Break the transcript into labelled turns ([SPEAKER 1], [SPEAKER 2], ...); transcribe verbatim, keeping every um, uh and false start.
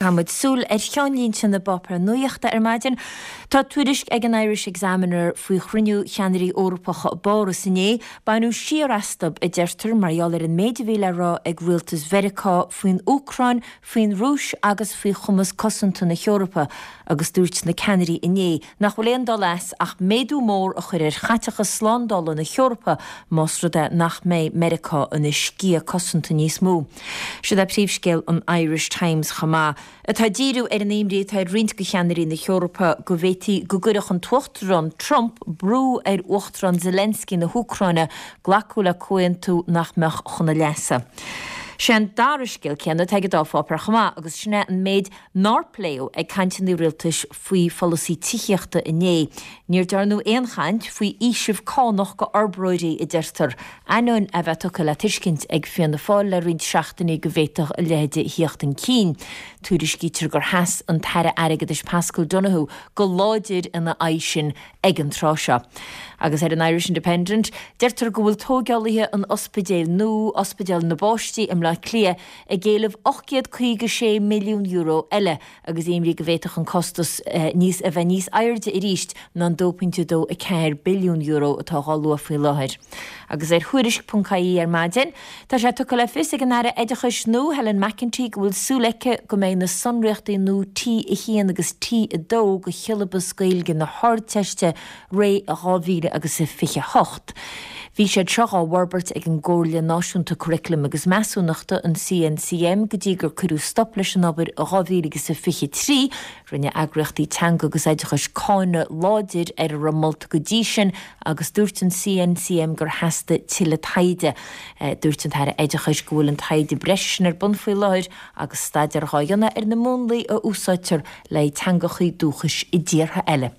[SPEAKER 1] Caithfimid súil ar cheannlínte na bpáipéar nuachta ar maidin. Tá tuairisc ag an Irish Examiner faoi chruinniú cheannairí Eorpacha i bPáras inné, baineadh siar astu a deirtear mar gheall ar an méid a bhí le rá ag rialtas Mheiriceá faoin Úcráin, faoin Rúis agus faoi chumas cosanta na hEorpa agus dúirt na ceannairí inné nach bhfuil aon dul as ach méadú mór a chur ar chaiteachas slándála na hEorpa más rud é nach mbeidh Meiriceá ina sciath cosanta níos mó. Siod é príomhscéal an Irish Times chomh maith. Atá ag díriú ar an imní atá ar roinnt de cheannairí na hEorpa go bhféadfaí go gcuirfeadh an tUachtarán Trump brú ar Uachtarán Zelensky na hÚcráine glacadh le comhaontú nach mbeadh chun a leasa. Sé an dara scéal céanna atá ag an dá pháipéar chomh maith agus sin é an méid nár pléadh ag cainteanna rialtais faoi pholasaí tithíochta inné. Níor dearnadh aon chaint faoi fhaoiseamh cánach go fhorbróirí a deirtear, ainneoin a bheith tugtha le tuiscint ag Fianna Fáil le roinnt seachtainí go bhféadfadh a leithéid a thíocht chun cinn. Tuairiscítear gur sheas an tAire Airgeadais Paschal Donohoe go láidir ina aghaidh sin ag an tráth seo. Agus ar an Irish Independent, deirtear go bhfuil tógálaithe an ospidéil nua, Ospidéal na bPáistí i mBleá Cliath, ag éileamh ocht gcéad caoga sé milliún euro eile agus imní go bhféadfadh an costas níos a bheith níos airde arís ná an dó pointe dó a ceathair billiún euro atá á lua faoi láthair. Agus ar Thuairisc ponc ie ar maidin, tá sé tugtha le fios ag an Aire Oideachais nua, Helen McEntee, go bhfuil súil aici go mbeidh na sonraíochtaí nua T a haon agus T a dó do shiollabas Gaeilge na hArdteiste réidh i dhá mhíle agus a fiche hocht. Bhí siad seo á bhforbairt ag an gComhairle Náisiúnta Curaclaim agus Measúnachta, an C N C M, go dtí gur cuireadh stop leis an obair i dhá mhíle agus a fiche trí. Rinne eagraíochtaí teanga agus oideachais cáineadh láidir ar a raibh molta go dtí sin agus dúirt an C N C M gur theastaigh tuilleadh taighde. Dúirt an tAire Oideachais go bhfuil an taighde breise sin ar bun faoi láthair agus staidéar á dhéanamh ar na múnlaí a úsáidtear le teangacha dúchais i dtíortha eile.